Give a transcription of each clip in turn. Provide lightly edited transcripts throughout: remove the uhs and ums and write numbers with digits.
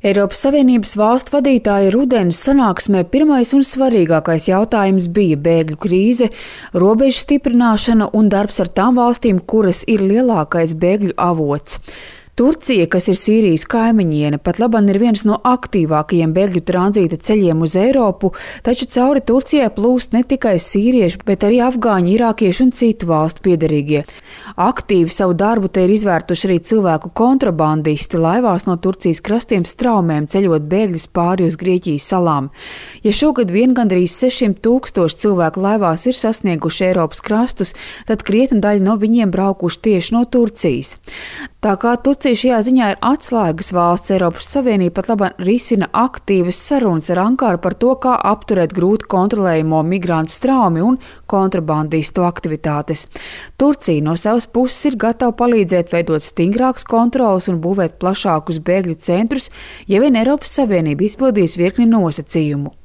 Eiropas Savienības valstu vadītāju rudenes sanāksmē pirmais un svarīgākais jautājums bija bēgļu krīze, robežu stiprināšana un darbs ar tām valstīm, kuras ir lielākais bēgļu avots. Turcija, kas ir Sīrijas kaimiņiene, pat labam ir viens no aktīvākajiem bēgļu tranzīta ceļiem uz Eiropu, taču cauri Turcijai plūst ne tikai sīrieši, bet arī afgāņi, irākieši un citu valstu piederīgie. Aktīvi savu darbu te ir izvērtuši arī cilvēku kontrabandisti laivās no Turcijas krastiem straumēm ceļot bēgļus pāri uz Grieķijas salām. Ja šogad vien gandrīz 600,000 cilvēku laivās ir sasnieguši Eiropas krastus, tad krietna daļa no viņiem braukuši tieši no Turcijas. Tā kā Turcija šajā ziņā ir atslēgas valsts, Eiropas Savienība pat labāk risina aktīvas sarunas ar Ankaru par to, kā apturēt grūti kontrolējamo migrantu straumi un kontrabandistu aktivitātes. Turcija no savas puses ir gatava palīdzēt veidot stingrākas kontrolas un būvēt plašākus bēgļu centrus, ja vien Eiropas Savienība izpildīs virkni nosacījumu.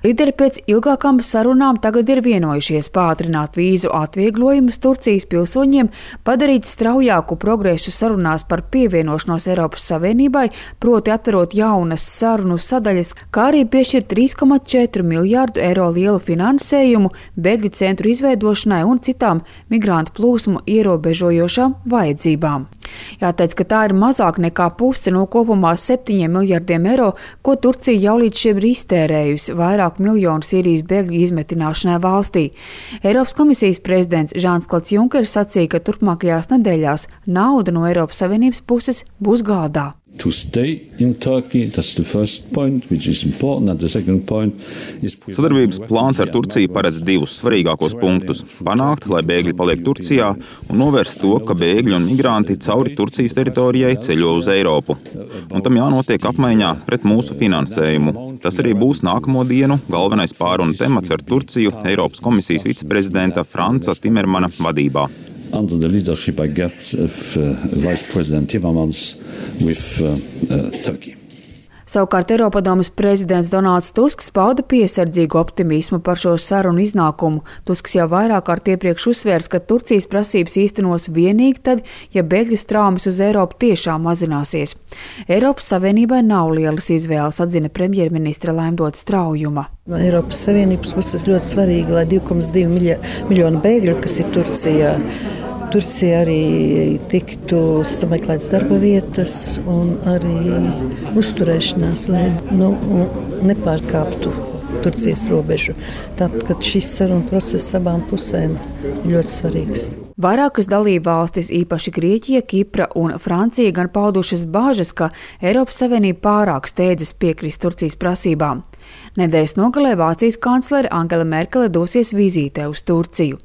Līderi pēc ilgākām sarunām tagad ir vienojušies pātrināt vīzu atvieglojumus Turcijas pilsoņiem, padarīt straujāku progresu sarunās par pievienošanos Eiropas Savienībai, proti atverot jaunas sarunu sadaļas, kā arī piešķirt 3,4 miljārdu eiro lielu finansējumu bēgļu centru izveidošanai un citām migrantu plūsmu ierobežojošām vajadzībām. Jāteic, ka tā ir mazāk nekā puse no kopumā 7 miljardiem eiro, ko Turcija jau līdz šim ir iztērējusi vairāku miljonu Sīrijas bēgļu izmetināšanai valstī. Eiropas komisijas prezidents Žans-Klods Junkers sacīja, ka turpmākajās nedēļās nauda no Eiropas Savienības puses būs galdā. To stay in Turkey, that's the first point, which is important, and the second point is... Sadarbības plāns ar Turciju paredz divus svarīgākos punktus – panākt, lai bēgļi paliek Turcijā, un novērst to, ka bēgļi un migranti cauri Turcijas teritorijai ceļo uz Eiropu. Un tam jānotiek apmaiņā pret mūsu finansējumu. Tas arī būs nākamo dienu galvenais pārunu temats ar Turciju Eiropas komisijas viceprezidenta Franza Timermana vadībā. Under the leadership, I guess, of Vice President Timmermans with Turkey. Savukārt Eiropadomes prezidents Donalds Tusks pauda piesardzīgu optimismu par šo sarunu iznākumu. Tusks jau vairāk kārt iepriekš uzsvērs, ka Turcijas prasības īstenos vienīgi tad, ja bēgļu straumes uz Eiropu tiešām mazināsies. Eiropas Savienībai nav lielas izvēles, atzina premjerministra Laimdota Straujuma. No Eiropas Savienības puses ļoti svarīgi, lai 2,2 miljonu bēgļu, kas ir Turcija arī tiktu sameklēts darba vietas un arī uzturēšanās, lai nepārkāptu Turcijas robežu. Tāpēc šis saruna process abām pusēm ļoti svarīgs. Vairākas dalībvalstis, īpaši Grieķija, Kipra un Francija, gan paudušas bāžas, ka Eiropas Savienība pārāk steidzas piekrist Turcijas prasībām. Nedēļas nogalē Vācijas kanclere Angela Merkele dosies vizītē uz Turciju.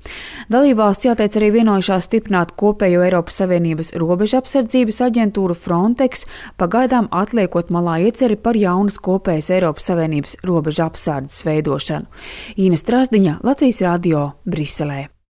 Dalībvalsts, jāteic, arī vienojušās stiprināt kopējo Eiropas Savienības robežu apsardzības aģentūru Frontex, pagaidām atliekot malā ieceri par jaunas kopējas Eiropas Savienības robežu apsardzes veidošanu. Īna Strasdiņa, Latvijas radio, Briselē.